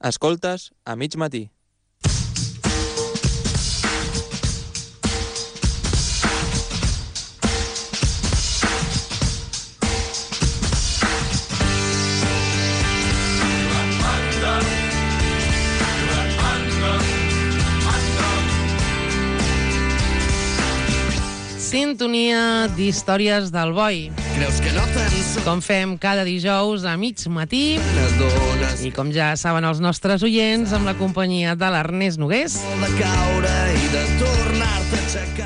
Escoltes a mig matí. Sintonia d'històries del boi. Com fem cada dijous a mig matí i com ja saben els nostres oients, amb la companyia de l'Ernest Nogués.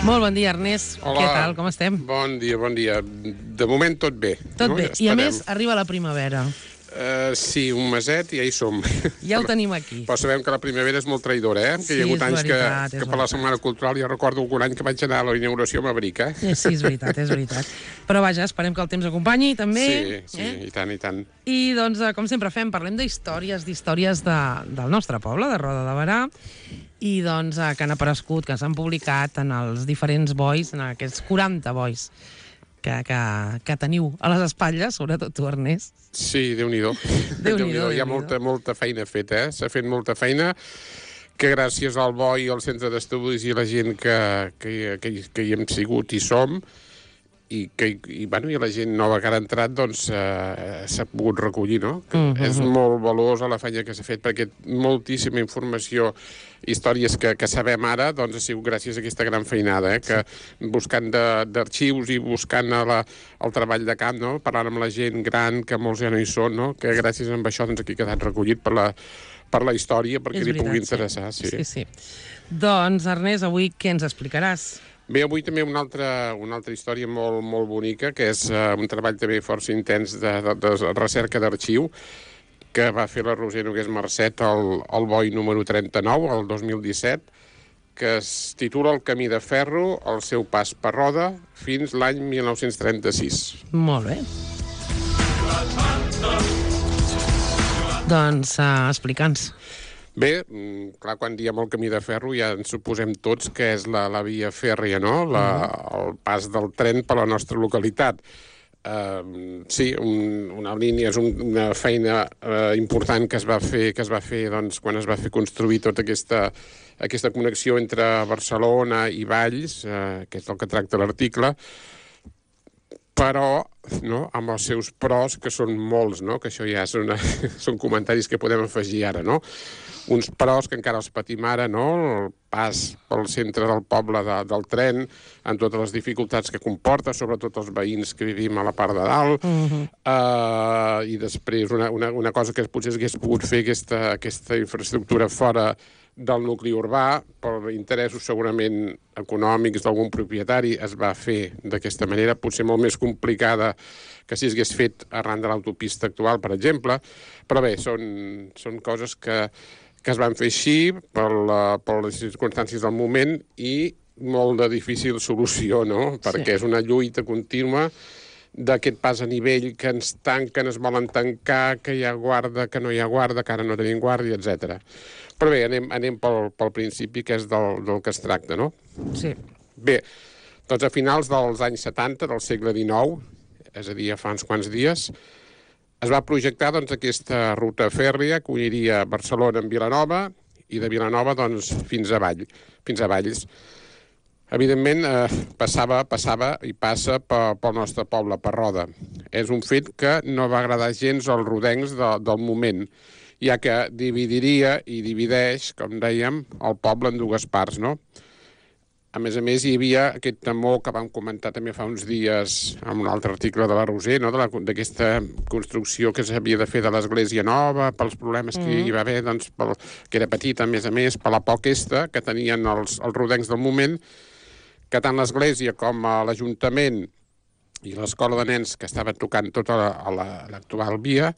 Molt bon dia, Ernest. Hola. Què tal? Com estem? Bon dia, bon dia. De moment tot bé. Tot no? bé. I a més, arriba la primavera. Sí, un meset i ja hi som. Ja ho tenim aquí. Però sabem que la primavera és molt traïdora, eh? Que hi ha hagut anys que per la Setmana Cultural jo recordo algun any que vaig anar a la inauguració a Mabric, eh? Sí, és veritat, és veritat. Però vaja, esperem que el temps acompanyi, també. Sí, i tant, i tant. I doncs, com sempre fem, parlem d'històries del nostre poble, de Roda de Berà, i doncs que han aparegut, que s'han publicat en els diferents bois, en aquests 40 bois que teniu a les espatlles, sobretot tu, Ernest. Sí, Déu-n'hi-do. Déu-n'hi-do. Hi ha molta feina feta, eh? S'ha fet molta feina que gràcies al BOI, al centre d'estudis i la gent que hi hem sigut i som, i la gent nova que ha entrat, doncs s'ha pogut recollir, no? És molt valuosa la feina que s'ha fet, perquè moltíssima informació, històries que sabem ara, doncs ha sigut gràcies a aquesta gran feinada, que buscant d'arxius i buscant el treball de camp, no? Parlant amb la gent gran, que molts ja no hi són, no? Que gràcies a això doncs, aquí ha quedat recollit per la història, perquè li pugui interessar. Sí. Doncs, Ernest, avui què ens explicaràs? Bé, avui també una altra història molt, molt bonica, que és un treball també força intens de recerca d'arxiu, que va fer la Roser Nogués Marcet al BOI número 39, el 2017, que es titula El camí de ferro, el seu pas per Roda, fins l'any 1936. Molt bé. Doncs explica'ns. Bé, clar, quan diem el camí de ferro ja ens suposem tots que és la via fèrria, no? El pas del tren per la nostra localitat. Sí, una línia, és una feina important que es va fer doncs, quan es va fer construir tota aquesta connexió entre Barcelona i Valls, que és el que tracta l'article, però no, amb els seus pros, que són molts, no? Que això ja són comentaris que podem afegir ara, no? Uns pros que encara els patim ara, no? El pas pel centre del poble del tren, amb totes les dificultats que comporta, sobretot els veïns que vivim a la part de dalt, i després una cosa que potser s'hagués pogut fer aquesta infraestructura fora del nucli urbà, per interessos segurament econòmics d'algun propietari, es va fer d'aquesta manera, potser molt més complicada que si s'hagués fet arran de l'autopista actual, per exemple, però bé, són coses que es van fer així per les circumstàncies del moment i molt de difícil solució, no? Perquè és una lluita contínua d'aquest pas a nivell que ens tanquen, es volen tancar, que hi ha guarda, que no hi ha guarda, que ara no tenim guàrdia, etc. Però bé, anem pel principi, que és del que es tracta, no? Sí. Bé, doncs a finals dels anys 70 del segle XIX, és a dir, fa uns quants dies, es va projectar doncs, aquesta ruta fèrria que uniria Barcelona amb Vilanova i de Vilanova doncs, fins a Valls. Evidentment, passava i passa pel nostre poble, per Roda. És un fet que no va agradar gens als rodencs del moment, ja que dividiria i divideix, com dèiem, el poble en dues parts, no? A més, hi havia aquest temor que vam comentar també fa uns dies en un altre article de la Roser, no? D'aquesta construcció que s'havia de fer de l'església nova, pels problemes que hi va haver, doncs, que era petita, a més, per la por aquesta que tenien els rodencs del moment, que tant l'església com l'Ajuntament i l'escola de nens que estava tocant tota l'actual via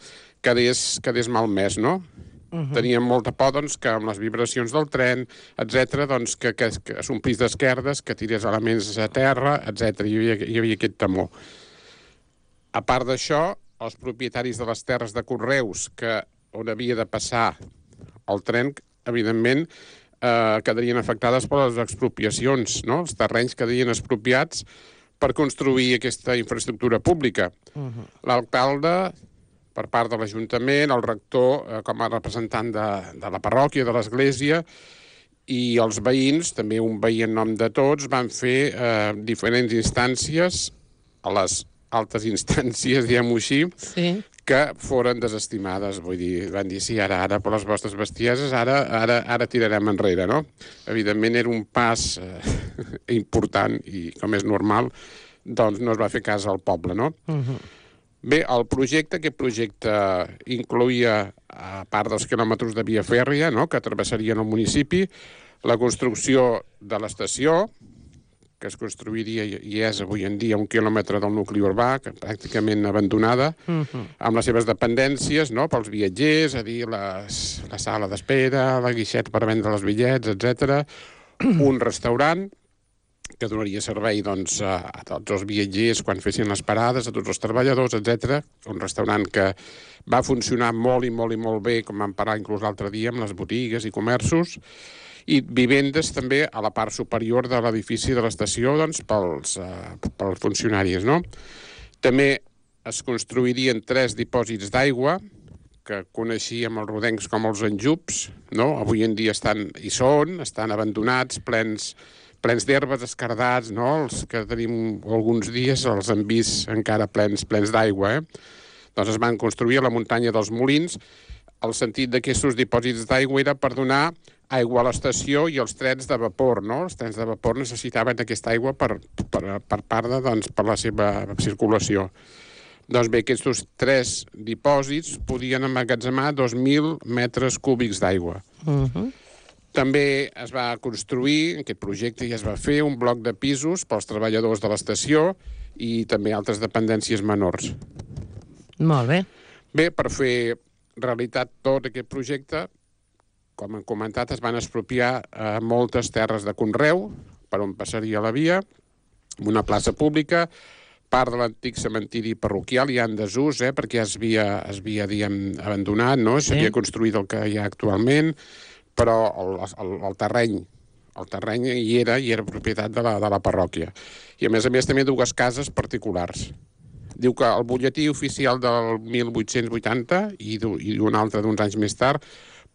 quedés malmès, no? Teníem molta por doncs, que amb les vibracions del tren, etc., doncs, que s'omplís d'esquerdes, que tirés elements a terra, etc. Hi havia aquest temor. A part d'això, els propietaris de les terres de conreus on havia de passar el tren, evidentment, quedarien afectades per les expropiacions, no? Els terrenys quedarien expropiats per construir aquesta infraestructura pública. L'alcalde per part de l'Ajuntament, el rector com a representant de la parròquia, de l'església, i els veïns, també un veí en nom de tots, van fer diferents instàncies, a les altes instàncies, diguem-ho així, que foren desestimades. Vull dir, van dir, sí, ara, per les vostres bestieses, ara tirarem enrere, no? Evidentment era un pas important i, com és normal, doncs no es va fer cas al poble, no? Bé, aquest projecte incloïa, a part dels quilòmetres de via fèrria, no?, que travessarien el municipi, la construcció de l'estació, que es construiria i és avui en dia 1 quilòmetre del nucli urbà, que pràcticament abandonada, amb les seves dependències, no?, pels viatgers, a dir, la sala d'espera, la guixeta per vendre els bitllets, etc. Un restaurant que donaria servei doncs, a tots els viatgers quan fessin les parades, a tots els treballadors, etc. Un restaurant que va funcionar molt i molt bé, com vam parlar inclús l'altre dia, amb les botigues i comerços, i vivendes també a la part superior de l'edifici de l'estació doncs, pels funcionaris, no? També es construirien 3 dipòsits d'aigua, que coneixíem els rodencs com els enjups, no? Avui en dia estan abandonats, plens d'herbes, escardats, no? Els que tenim alguns dies els hem vist encara plens d'aigua, Doncs es van construir a la muntanya dels Molins. El sentit d'aquests dipòsits d'aigua era per donar aigua a l'estació i els trens de vapor, no? Els trens de vapor necessitaven aquesta aigua per la seva circulació. Doncs bé, aquests 3 dipòsits podien emmagatzemar 2.000 metres cúbics d'aigua. També es va construir, aquest projecte ja es va fer, un bloc de pisos pels treballadors de l'estació i també altres dependències menors. Molt bé. Bé, per fer realitat tot aquest projecte, com hem comentat, es van expropiar moltes terres de conreu per on passaria la via, una plaça pública, part de l'antic cementiri parroquial ja en desús, perquè es havia abandonat, no? S'havia construït el que hi ha actualment, però el terreny hi era propietat de la parròquia. I a més també 2 cases particulars. Diu que el butlletí oficial del 1880 i un altre d'uns anys més tard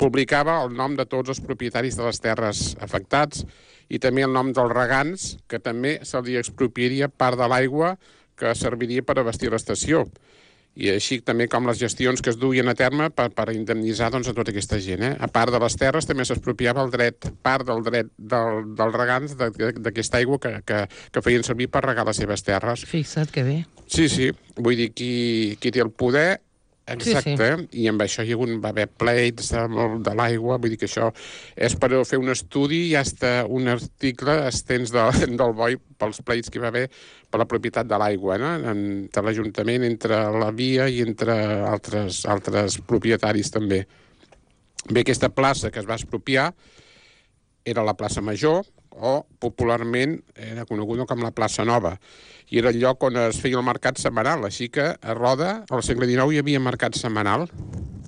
publicava el nom de tots els propietaris de les terres afectats i també el nom dels regants, que també se li expropiaria part de l'aigua que serviria per abastir l'estació. I així també com les gestions que es duien a terme per indemnitzar a tota aquesta gent. A part de les terres també s'expropiava part del dret dels regants d'aquesta aigua que feien servir per regar les seves terres. Fixa't que bé. Sí, vull dir, qui té el poder, exacte, i amb això va haver pleits de l'aigua, vull dir que això és per fer un estudi i fins un article extens del BOI pels pleits que hi va haver per la propietat de l'aigua, entre l'Ajuntament, entre la via i entre altres propietaris també. Bé, aquesta plaça que es va expropiar era la plaça Major, o popularment era coneguda com la plaça Nova, i era el lloc on es feia el mercat setmanal, així que a Roda, al segle XIX, hi havia mercat setmanal,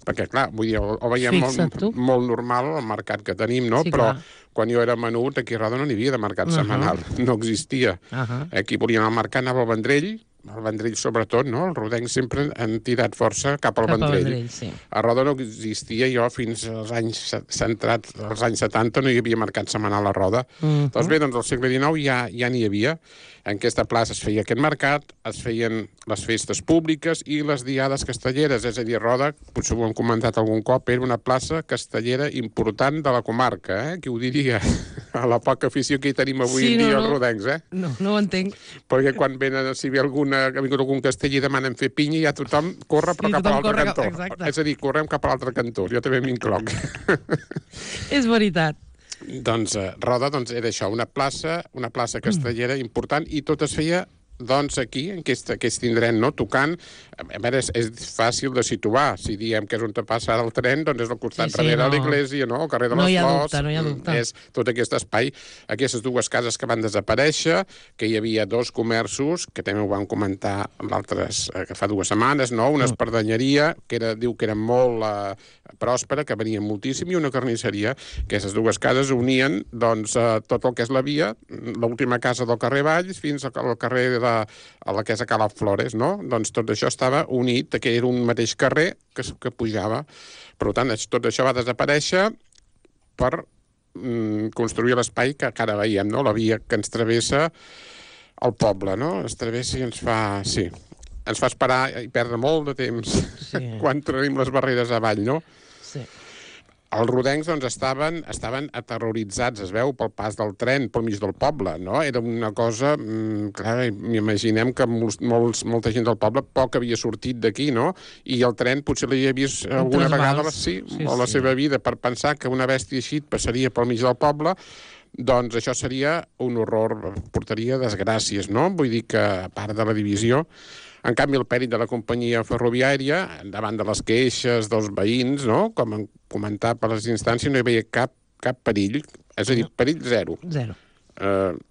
perquè, clar, vull dir, ho veiem molt normal el mercat que tenim, no? Però quan jo era menut, aquí a Roda no n'hi havia de mercat setmanal, no existia. Aquí volien el mercat, anava al Vendrell sobretot, no? Els rodencs sempre han tirat força cap al Vendrell. A Roda no existia, jo fins als anys 70 no hi havia mercat setmanal a Roda. Doncs bé, al segle XIX ja n'hi havia. En aquesta plaça es feia aquest mercat, es feien les festes públiques i les diades castelleres, és a dir, Roda, potser ho hem comentat algun cop, era una plaça castellera important de la comarca, qui ho diria? A la poca afició que hi tenim avui en dia els rodencs, No ho entenc. Perquè quan venen, si ve ha vingut algun castell i demanen fer pinya, ja tothom corre però cap a l'altre cantó. És a dir, correm cap a l'altre cantó, jo també m'incloc. És veritat. Doncs Roda era això, una plaça castellera important, i tot es feia aquí, en aquest indret, no? Tocant. A veure, és fàcil de situar. Si diem que és on passa el tren, doncs és al costat darrere de l'església, no? El carrer de les Flors. No hi ha dubte. És tot aquest espai. Aquestes 2 cases que van desaparèixer, que hi havia 2 comerços, que també ho vam comentar que fa 2 setmanes, no? Una espardenyeria, diu que era molt pròspera, que venia moltíssim, i una carnisseria. Aquestes 2 cases unien tot el que és la via, l'última casa del carrer Valls, fins al carrer de a la que és a Cala Flores, no? Doncs tot això estava unit, que era un mateix carrer que pujava. Per tant, tot això va desaparèixer per construir l'espai que ara veiem, no? La via que ens travessa el poble, no? Ens travessa i ens fa esperar i perdre molt de temps quan tenim les barreres avall, no? Sí. Els rodencs doncs, estaven aterroritzats, es veu, pel pas del tren pel mig del poble, no? Era una cosa... clar, m'imaginem que molta gent del poble poc havia sortit d'aquí, no? I el tren potser l'havia vist alguna vegada a la seva vida per pensar que una bèstia així passaria pel mig del poble. Doncs això seria un horror, portaria desgràcies, no? Vull dir que, a part de la divisió... En canvi, el pèrit de la companyia ferroviària, davant de les queixes dels veïns, no? Com han comentat per les instàncies, no hi veia cap perill, és a dir, perill zero. Zero.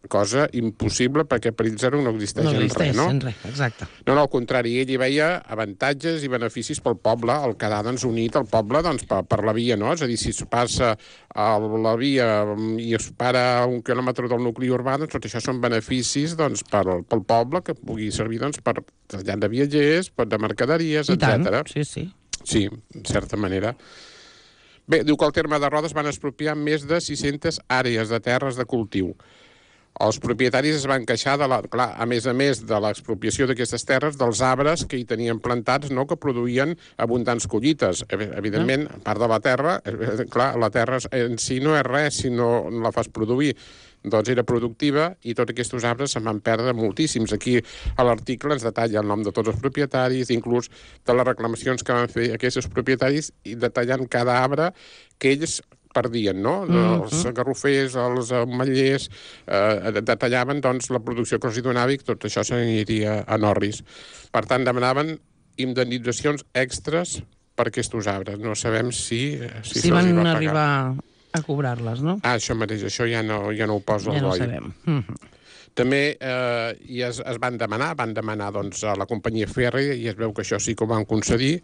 Cosa impossible, perquè perill zero no existeix en res, no? No existeix en res, exacte. No, al contrari, ell hi veia avantatges i beneficis pel poble, el quedar doncs, unit al poble doncs, per la via, no? És a dir, si es passa a la via i es para a 1 quilòmetre del nucli urbà, doncs tot això són beneficis doncs, pel poble, que pugui servir doncs, per trasllat de viatgers, de mercaderies, etc. Sí. Sí, en certa manera. Bé, diu que al terme de Rodes van expropiar més de 600 àrees de terres de cultiu. Els propietaris es van queixar, clar, a més de l'expropiació d'aquestes terres, dels arbres que hi tenien plantats, no?, que produïen abundants collites. Evidentment, a part de la terra, clar, la terra en si no és res si no la fas produir. Doncs era productiva i tots aquests arbres se'n van perdre moltíssims. Aquí a l'article ens detalla el nom de tots els propietaris, inclús de les reclamacions que van fer aquests propietaris i detallant cada arbre que ells perdien, no? Els garrofers, els ametllers, detallaven doncs, la producció que els donava i tot això s'aniria a Norris. Per tant, demanaven indemnitzacions extres per aquests arbres. No sabem si se'ls van va pagar. arribar a cobrar-les, no? Això mateix, això ja no ho posa el BOI. Ja no sabem. També es van demanar doncs, a la companyia fèrria, i es veu que això sí que ho van concedir,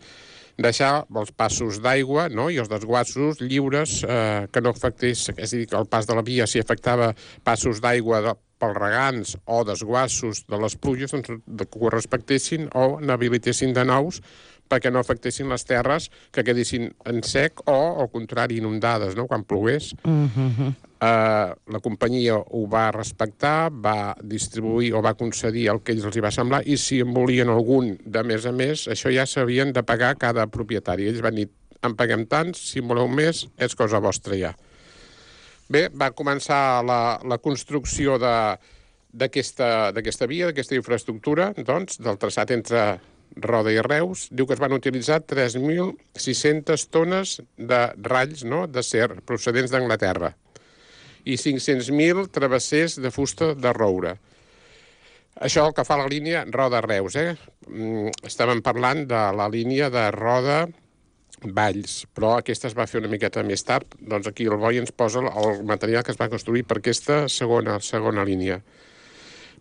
deixar els passos d'aigua, no?, i els desguassos lliures que no afectés, és a dir, que el pas de la via, si afectava passos d'aigua pels regants o desguassos de les pluges, doncs, que ho respectessin o n'habilitessin de nous perquè no afectessin les terres que quedessin en sec o, al contrari, inundades, no?, quan plogués. La companyia ho va respectar, va distribuir o va concedir el que ells els hi va semblar, i si en volien algun de més a més, això ja s'havien de pagar cada propietari. Ells van dir, en paguem tants, si en voleu més, és cosa vostra ja. Bé, va començar la construcció d'aquesta via, d'aquesta infraestructura, doncs, del traçat entre Roda i Reus. Diu que es van utilitzar 3.600 tones de ralls, no?, d'acer procedents d'Anglaterra i 500.000 travessers de fusta de roure. Això el que fa la línia Roda-Reus, Estàvem parlant de la línia de Roda-Valls, però aquesta es va fer una miqueta més tard. Doncs aquí el BOI ens posa el material que es va construir per aquesta segona línia.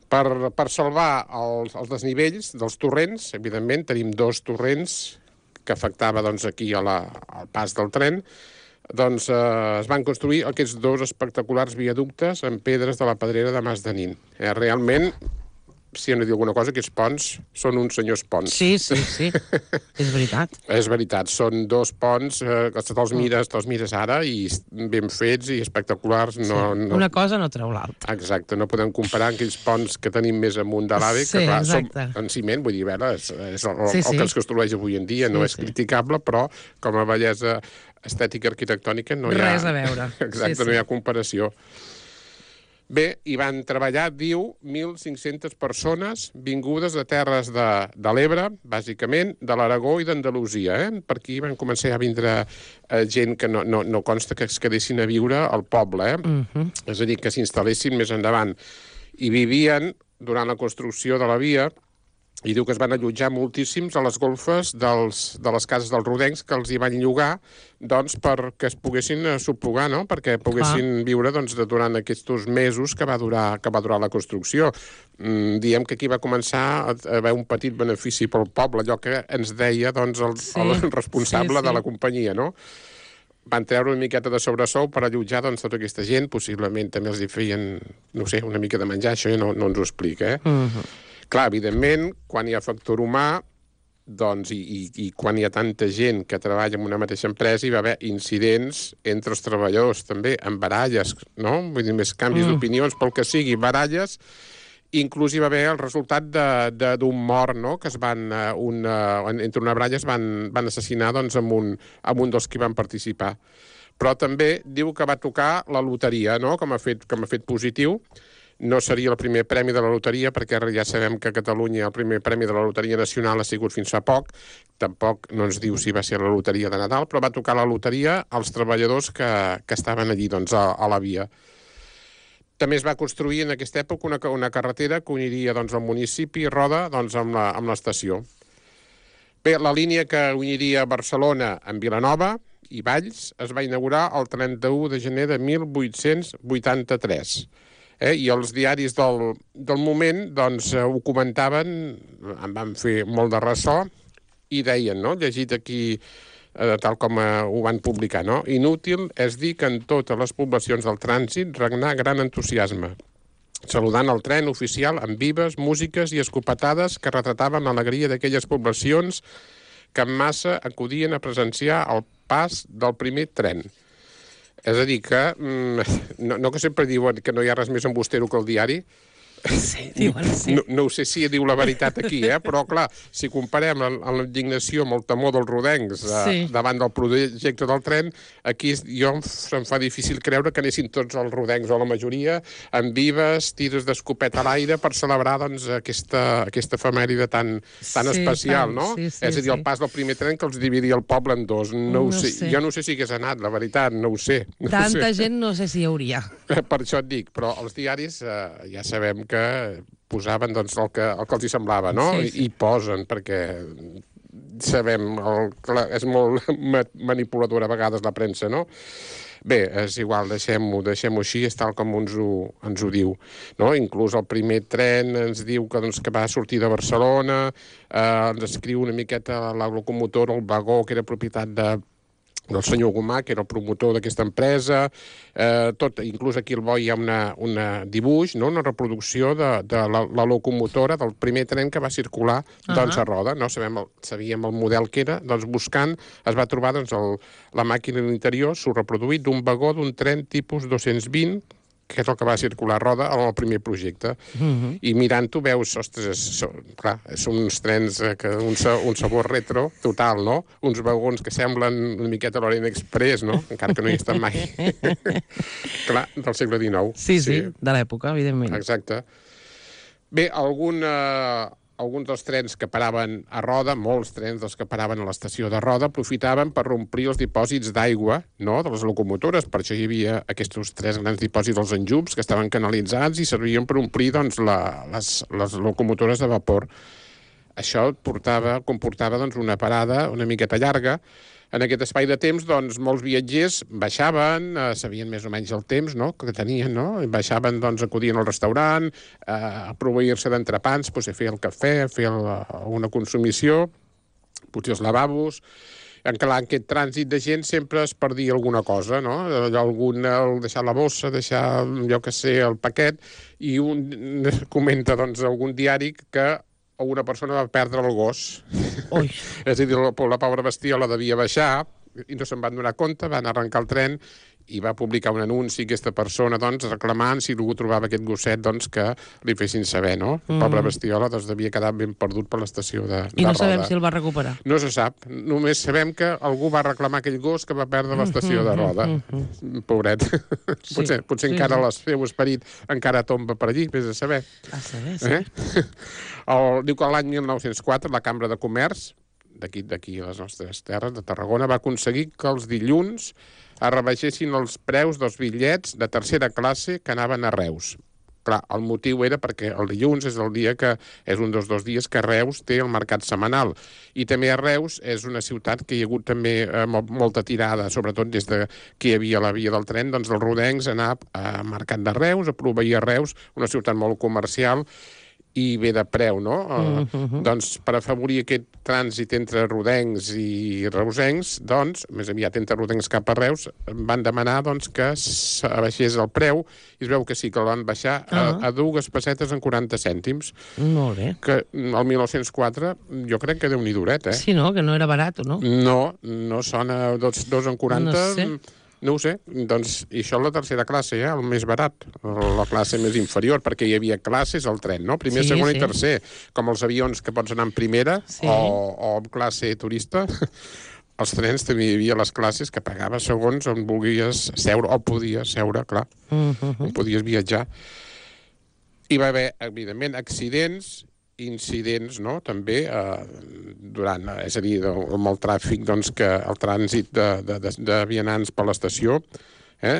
Per salvar els desnivells dels torrents, evidentment, tenim 2 torrents que afectava doncs, aquí al pas del tren, doncs es van construir aquests 2 espectaculars viaductes en pedres de la pedrera de Mas de Nin. Realment, si hem de dir alguna cosa, aquests ponts són uns senyors ponts. Sí. És veritat. És veritat, són 2 ponts que te'ls mires ara i ben fets i espectaculars. Una cosa no treu l'altra. Exacte, no podem comparar aquells ponts que tenim més amunt de l'AVE, que clar, són en ciment, vull dir, és el que es construeix avui en dia, no és criticable, però com a bellesa estètica arquitectònica no hi ha... Res a veure. Exacte, no hi ha comparació. Bé, hi van treballar, diu, 1.500 persones vingudes de terres de l'Ebre, bàsicament, de l'Aragó i d'Andalusia. Per aquí van començar a vindre gent que no consta que es quedessin a viure al poble. És a dir, que s'instal·lessin més endavant. I vivien, durant la construcció de la via, i diu que es van allotjar moltíssims a les golfes de les cases dels rodencs que els hi van llogar doncs, perquè es poguessin subrogar, no?, perquè poguessin viure doncs, durant aquests mesos que va durar la construcció. Diem que aquí va començar a haver un petit benefici pel poble, allò que ens deia doncs, el responsable de la companyia, no? Van treure una miqueta de sobresou per allotjar doncs, tota aquesta gent, possiblement també els hi feien, no sé, una mica de menjar, això ja no ens ho explica, Clar, evidentment, quan hi ha factor humà, doncs, i quan hi ha tanta gent que treballa en una mateixa empresa, hi va haver incidents entre els treballadors, també, amb baralles, no? Vull dir, més canvis d'opinions, pel que sigui, baralles, inclús hi va haver el resultat d'un mort, no?, que entre una baralla es van assassinar doncs, amb un dels que van participar. Però també diu que va tocar la loteria, no?, com a fet positiu. No seria el primer premi de la loteria, perquè ja sabem que a Catalunya el primer premi de la loteria nacional ha sigut fins fa poc. Tampoc no ens diu si va ser la loteria de Nadal, però va tocar la loteria als treballadors que estaven allí, doncs, a la via. També es va construir en aquesta època una carretera que uniria doncs, el municipi Roda doncs, amb l'estació. Bé, la línia que uniria Barcelona amb Vilanova i Valls es va inaugurar el 31 de gener de 1883. I els diaris del moment doncs, ho comentaven, en van fer molt de ressò, i deien, no?, llegit aquí tal com ho van publicar, no?, inútil és dir que en totes les poblacions del trànsit regnà gran entusiasme, saludant el tren oficial amb vives, músiques i escopetades que retrataven l'alegria d'aquelles poblacions que en massa acudien a presenciar el pas del primer tren. És a dir, que no que sempre diuen que no hi ha res més embustero que el diari. Sí, diuen sí. No ho sé si diu la veritat aquí, però clar, si comparem la indignació amb el temor dels rodencs davant del projecte del tren, aquí se'm fa difícil creure que anessin tots els rodencs, o la majoria, amb vives, tirs d'escopeta a l'aire per celebrar doncs, aquesta efemèride tan especial, no? És a dir, el pas del primer tren que els dividia el poble en dos. No ho sé. Jo no sé si hagués anat, la veritat, no ho sé. Tanta gent no sé si hi hauria. Per això et dic, però els diaris ja sabem que posaven doncs, el que els hi semblava, no? I posen, perquè sabem, és molt manipuladora a vegades la premsa, no? Bé, és igual, deixem-ho així, és tal com ens ho diu. No? Inclús el primer tren ens diu que va sortir de Barcelona, ens escriu una miqueta la locomotora, el vagó, que era propietat del senyor Gomà, que era el promotor d'aquesta empresa, inclús aquí al bo hi ha un dibuix, no? Una reproducció de la locomotora del primer tren que va circular doncs, a Roda. No? Sabíem el model que era, doncs buscant es va trobar doncs, la màquina a l'interior, s'ho reproduït d'un vagó d'un tren tipus 220, que és el que va circular a Roda en el primer projecte. I mirant-ho veus, ostres, clar, són uns trens que un sabor retro total, no? Uns vagons que semblen una miqueta l'Orient Express, no? Encara que no hi he estat mai. Clar, del segle XIX. Sí, de l'època, evidentment. Exacte. Bé, alguns dels trens que paraven a Roda, molts trens dels que paraven a l'estació de Roda, aprofitaven per omplir els dipòsits d'aigua, no?, de les locomotores. Per això hi havia aquests 3 grans dipòsits dels enjubs que estaven canalitzats i servien per omplir doncs, les locomotores de vapor. Això comportava doncs, una parada una miqueta llarga. En aquest espai de temps, doncs, molts viatgers baixaven, sabien més o menys el temps, no?, que tenien, no? Baixaven, doncs, acudien al restaurant, a proveir-se d'entrepans, a fer el cafè, a fer una consumició, potser els lavabos. En aquest trànsit de gent sempre es perdia alguna cosa, no? Deixar la bossa, deixar, jo que sé, el paquet, i un comenta, doncs, algun diari que una persona va perdre el gos. Ui. És a dir, la pobra bestiola devia baixar i no se'n van donar compte, van arrencar el tren i va publicar un anunci aquesta persona doncs, reclamant si algú trobava aquest gosset doncs, que li fessin saber, no? La pobra bestiola doncs, devia quedar ben perdut per l'estació de Roda. I no sabem si el va recuperar. No se sap. Només sabem que algú va reclamar aquell gos que va perdre l'estació de Roda. Pobret. Potser encara el seu esperit encara tomba per allí, vés a saber. A saber, sí. Diu que l'any 1904 la Cambra de Comerç d'aquí a les nostres terres, de Tarragona, va aconseguir que els dilluns es rebaixessin els preus dels bitllets de tercera classe que anaven a Reus. Clar, el motiu era perquè el dilluns és el dia que és un dels 2 dies que Reus té el mercat setmanal. I també a Reus és una ciutat que hi ha hagut també molta tirada, sobretot des de que hi havia la via del tren, doncs els rodencs anar al mercat de Reus, a proveir a Reus, una ciutat molt comercial, i bé de preu, no? Doncs per afavorir aquest trànsit entre rodencs i reusencs, doncs, més aviat entre rodencs cap a Reus, van demanar doncs, que s'abaixés el preu i es veu que sí, que el van baixar a 2 pessetes en 40 cèntims. Molt bé. Que el 1904 jo crec que Déu-n'hi duret, Sí, no? Que no era barat, o no? No sona 2 en 40... No sé. No ho sé, doncs, i això és la tercera classe, el més barat, la classe més inferior, perquè hi havia classes al tren, no? Primer, segon i tercer, com els avions que pots anar en primera o en classe turista, als trens també hi havia les classes que pagaves segons on volguies seure, o podies seure, clar, on podies viatjar. Hi va haver, evidentment, incidents, no?, també, és a dir, amb el tràfic, doncs, que el trànsit de vianants per l'estació,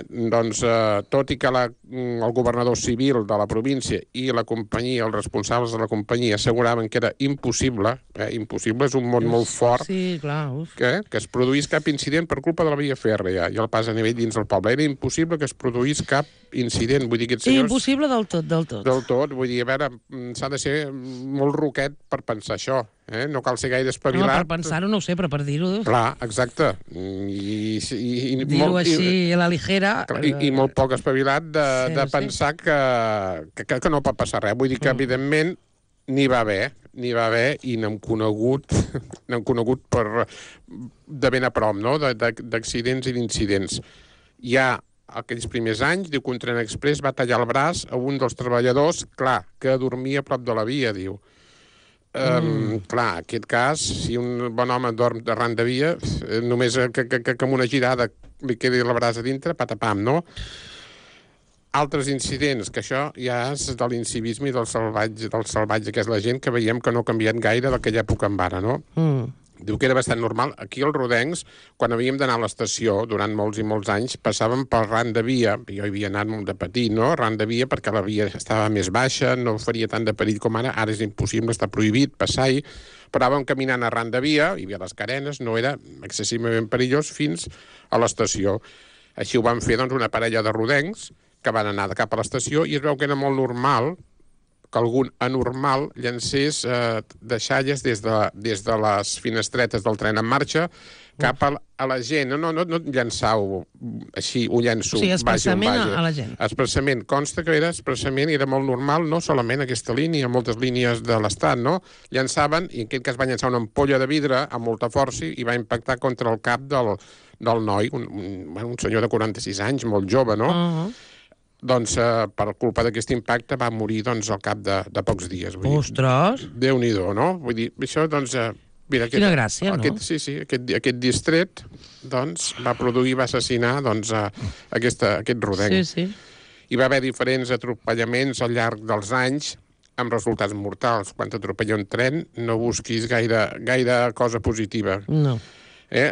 doncs, tot i que el governador civil de la província i la companyia, els responsables de la companyia, asseguraven que era impossible, impossible, és un mot molt fort, sí, clar, que es produís cap incident per culpa de la via fèrrea i el pas a nivell dins del poble. Era impossible que es produís cap incident. Vull dir, aquests senyors... Impossible del tot, del tot. Del tot, vull dir, a veure, s'ha de ser molt roquet per pensar això, no cal ser gaire espavilat. No, per pensar-ho no ho sé, però per dir-ho... Clar, exacte. Dir-ho així a la ligera... I molt poc espavilat de pensar que no pot passar res. Vull dir que, evidentment, n'hi va haver i n'hem conegut de ben a prop, no?, d'accidents i d'incidents. Ja aquells primers anys, diu que un tren express va tallar el braç a un dels treballadors, clar, que dormia a prop de la via, diu. Clar, en aquest cas, si un bon home dorm arran de via, només que amb una girada li quedi el braç a dintre, patapam, no? Altres incidents, que això ja és de l'incivisme i del salvatge, que és la gent que veiem que no ha canviat gaire d'aquella època en ara, no? Diu que era bastant normal. Aquí als rodencs, quan havíem d'anar a l'estació, durant molts i molts anys, passàvem pel ran de via. Jo hi havia anat molt de petit, no? Ran de via, perquè la via estava més baixa, no faria tant de perill com ara. Ara és impossible, està prohibit passar-hi. Però anàvem caminant a ran de via, hi havia les carenes, no era excessivament perillós fins a l'estació. Així ho van fer, doncs, una parella de rodencs que van anar cap a l'estació i es veu que era molt normal que algun anormal llancés deixalles des de les finestretes del tren en marxa cap a la gent. No llançar-ho així, ho llenço. O sigui, expressament a la gent. Expressament. Consta que era expressament, era molt normal, no solament aquesta línia, moltes línies de l'Estat, no? Llançaven, i en aquest cas va llançar una ampolla de vidre amb molta força i va impactar contra el cap del noi, un senyor de 46 anys, molt jove, no? Doncs per culpa d'aquest impacte va morir doncs, al cap de pocs dies. Ostres! Déu-n'hi-do, no? Vull dir, això, doncs... Mira, quina gràcia, no? Aquest distret, doncs, va produir, va assassinar, doncs, aquest rodenc. Sí. Hi va haver diferents atropellaments al llarg dels anys, amb resultats mortals. Quan t'atropella un tren, no busquis gaire cosa positiva. No.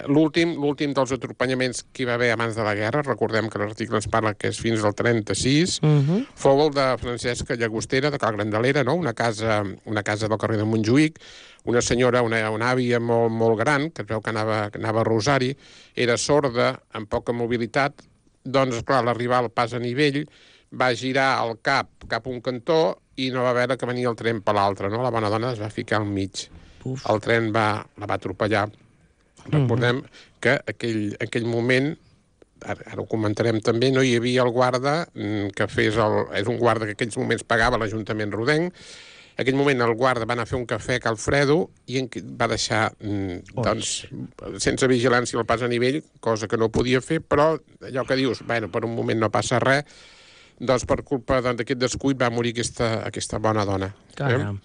L'últim dels atropellaments que hi va haver abans de la guerra, recordem que l'article ens parla que és fins al 36, fou el de Francesca Llagostera, de Cal Grandelera, no? Una casa del carrer de Montjuïc, una senyora, una àvia molt gran, que es veu que anava a Rosari, era sorda, amb poca mobilitat, doncs, clar, a l'arribar al pas a nivell, va girar el cap a un cantó i no va veure que venia el tren per l'altre, no? La bona dona es va ficar al mig. El tren la va atropellar. Recordem que aquell moment, ara ho comentarem també, no hi havia el guarda que fes és un guarda que en aquells moments pagava l'Ajuntament rodenc. En aquell moment el guarda va anar a fer un cafè a Cal Fredo i va deixar, doncs, sense vigilància el pas a nivell, cosa que no podia fer, però allò que dius, bueno, per un moment no passa res, doncs per culpa d'aquest descuit va morir aquesta bona dona. Caram.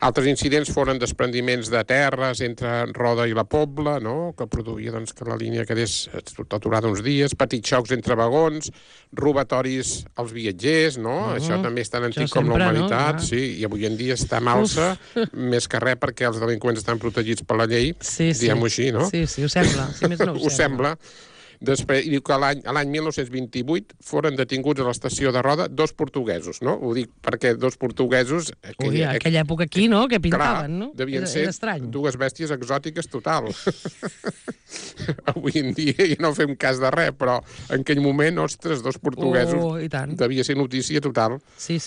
Altres incidents foren desprendiments de terres entre Roda i la Pobla, no?, que produïa doncs, que la línia quedés aturada uns dies, petits xocs entre vagons, robatoris als viatgers, no? Això també és tan antic com la humanitat, sí, i avui en dia està en alça, més que res perquè els delinqüents estan protegits per la llei, diguem-ho així, no? Sí, ho sembla, si més no ho sembla. Després, diu que l'any 1928 foren detinguts a l'estació de Roda 2 portuguesos, no? Ho dic perquè 2 portuguesos... Aquella època aquí, no?, que pintaven, no? Devien ser dues bèsties exòtiques total. Avui en dia ja no fem cas de res, però en aquell moment, ostres, 2 portuguesos... I tant. Devia ser notícia total. Sí.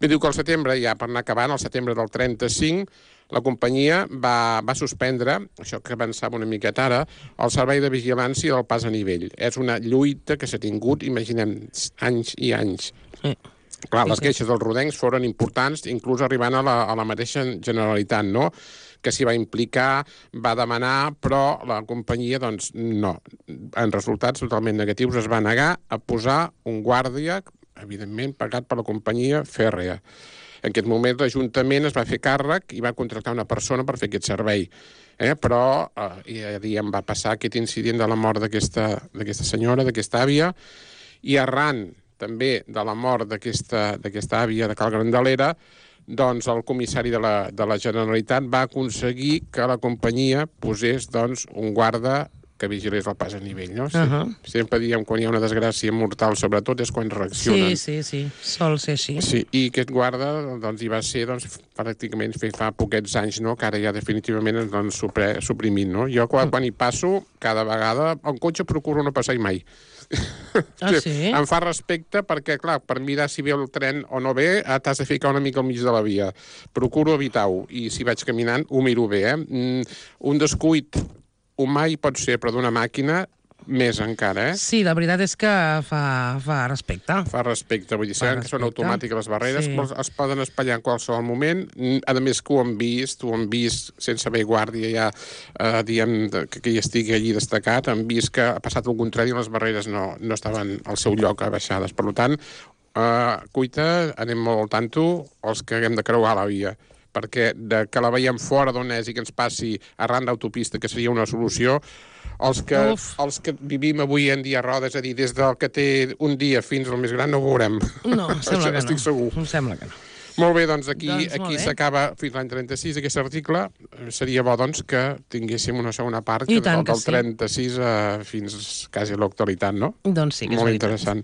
Bé, diu que al setembre, ja per anar acabant, al setembre del 35, la companyia va suspendre, això que avançava una miqueta ara, el servei de vigilància del pas a nivell. És una lluita que s'ha tingut, imaginem, anys i anys. Clar, les queixes dels rodencs foren importants, inclús arribant a la mateixa Generalitat, no?, que s'hi va implicar, va demanar, però la companyia, doncs, no. En resultats totalment negatius es va negar a posar un guàrdia, evidentment, pagat per la companyia fèrrea. En aquest moment l'Ajuntament es va fer càrrec i va contractar una persona per fer aquest servei. Però ja diem, va passar aquest incident de la mort d'aquesta senyora, d'aquesta àvia, i arran també de la mort d'aquesta àvia de Cal Grandalera, doncs el comissari de la Generalitat va aconseguir que la companyia posés doncs, un guarda que vigilés el pas a nivell, no? Sempre diem, quan hi ha una desgràcia mortal, sobretot, és quan reaccionen. Sí, sol ser així. Sí, i aquest guarda doncs, hi va ser pràcticament fa poquets anys, no?, que ara ja definitivament ens suprimit, no? Jo quan hi passo, cada vegada, el cotxe procuro no passar-hi mai. Sí? Em fa respecte perquè, clar, per mirar si ve el tren o no ve, t'has de ficar una mica al mig de la via. Procuro evitar-ho, i si vaig caminant ho miro bé, Un descuit humà hi pot ser, però d'una màquina més encara, Sí, la veritat és que fa respecte. Fa respecte, vull dir, sabem que són automàtiques les barreres, però es poden espatllar en qualsevol moment. A més que ho han vist sense haver guàrdia ja, diem, que hi estigui allí destacat, han vist que ha passat el contrari i les barreres no estaven al seu lloc abaixades. Per tant, cuita, anem molt al tanto, els que haguem de creuar la via, perquè que la veiem fora d'on és i que ens passi arran d'autopista, que seria una solució, els que vivim avui en dia a roda, és a dir, des del que té un dia fins al més gran, no ho veurem. No, sembla que no. Estic segur. Em sembla que no. Molt bé, doncs aquí s'acaba fins l'any 36 aquest article. Seria bo, doncs, que tinguéssim una segona part del 36 fins quasi a l'actualitat, no? Doncs sí, que és molt veritat. interessant.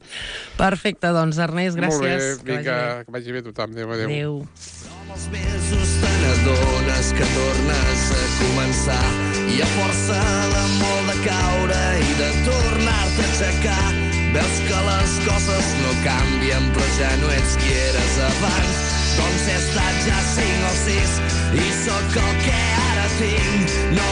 Perfecte, doncs, Ernest, gràcies. Molt bé, que vagi bé tothom. Adéu. Adéu. Els mesos te n'adones que tornes a començar i a força l'amor de caure i de tornar-te a aixecar veus que les coses no canvien però ja no ets qui eres abans. Doncs he estat ja 5 o 6 i sóc el que ara tinc. No